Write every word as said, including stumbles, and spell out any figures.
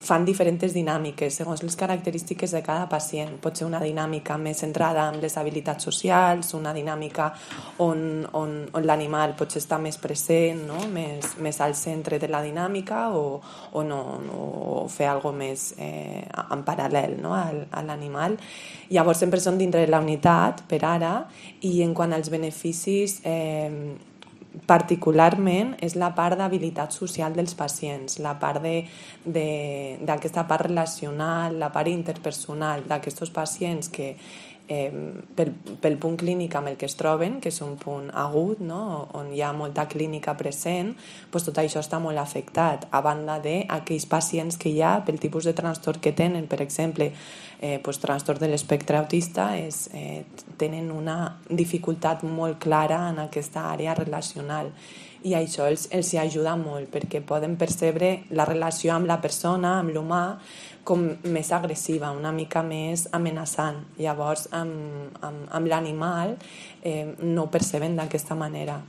fan diferents dinàmiques segons les característiques de cada pacient. Pot ser una dinàmica més centrada en les habilitats socials, una dinàmica on, on, on l'animal potser està més present, no? més, més al centre de la dinàmica, o, o, no, no, o fer alguna més eh, en paral·lel, no? a, a l'animal. Llavors sempre són dintre de la unitat per ara, i en quant als beneficis, eh, particularment és la part d'habilitat social dels pacients, la part d'aquesta part relacional, la part interpersonal d'aquests pacients que eh, pel, pel punt clínic amb el que es troben, que és un punt agut, no? On hi ha molta clínica present, doncs tot això està molt afectat, a banda d'aquells pacients que hi ha pel tipus de trastorn que tenen. Per exemple, eh, doncs, trastorn de l'espectre autista és, eh, tenen una dificultat molt clara en aquesta àrea relacional, i això els, els hi ajuda molt perquè poden percebre la relació amb la persona, amb l'humà, com més agressiva, una mica més amenaçant. Llavors amb, amb, amb l'animal eh, no ho perceben d'aquesta manera.